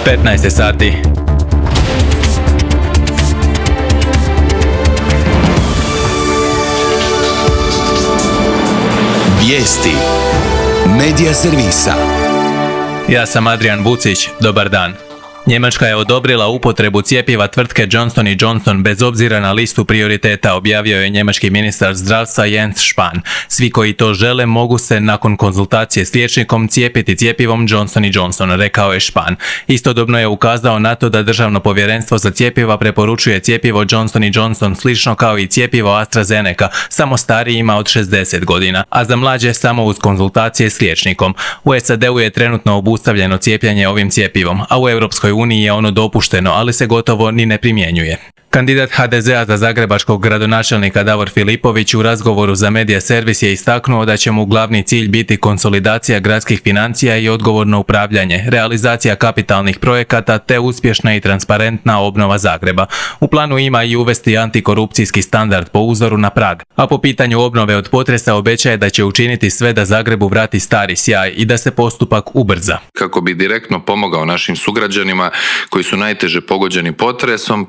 15 sati. Vijesti Medija servisa. Ja sam Adrian Bucić, dobar dan. Njemačka je odobrila upotrebu cjepiva tvrtke Johnson & Johnson bez obzira na listu prioriteta, objavio je njemački ministar zdravstva Jens Spahn. Svi koji to žele mogu se nakon konzultacije s liječnikom cijepiti cjepivom Johnson & Johnson, rekao je Spahn. Istodobno je ukazao na to da Državno povjerenstvo za cjepiva preporučuje cjepivo Johnson & Johnson slično kao i cjepivo AstraZeneca, samo starijima od 60 godina, a za mlađe samo uz konzultacije s liječnikom. U SAD-u je trenutno obustavljeno cijepljenje ovim cjepivom, a u Europskoj uniji je ono dopušteno, ali se gotovo ni ne primjenjuje. Kandidat HDZ-a za zagrebačkog gradonačelnika Davor Filipović u razgovoru za Medija servis je istaknuo da će mu glavni cilj biti konsolidacija gradskih financija i odgovorno upravljanje, realizacija kapitalnih projekata te uspješna i transparentna obnova Zagreba. U planu ima i uvesti antikorupcijski standard po uzoru na Prag, a po pitanju obnove od potresa obećaje da će učiniti sve da Zagrebu vrati stari sjaj i da se postupak ubrza. Kako bi direktno pomogao našim sugrađanima koji su najteže pogođeni potresom,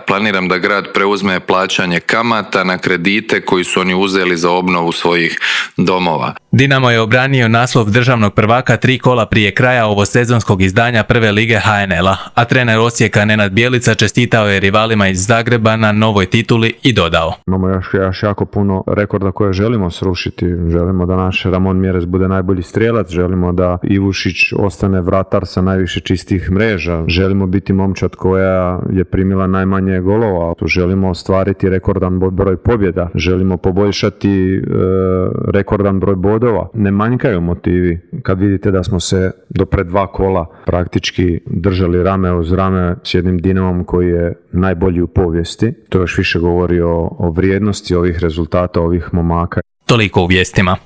planiram da grad preuzme plaćanje kamata na kredite koji su oni uzeli za obnovu svojih domova. Dinamo je obranio naslov državnog prvaka 3 kola prije kraja ovosezonskog izdanja prve lige HNL-a, a trener Osijeka Nenad Bjelica čestitao je rivalima iz Zagreba na novoj tituli i dodao: Imamo još jako puno rekorda koje želimo srušiti. Želimo da naš Ramon Mjerez bude najbolji strijelac, želimo da Ivušić ostane vratar sa najviše čistih mreža, želimo biti momčad koja je primila najmanje golova, želimo ostvariti rekordan broj pobjeda, želimo poboljšati rekordan broj bodova. Ne manjkaju motivi kad vidite da smo se do pred 2 kola praktički držali rame uz rame s jednim Dinamom koji je najbolji u povijesti. To još više govori o vrijednosti ovih rezultata, ovih momaka. Toliko u vijestima.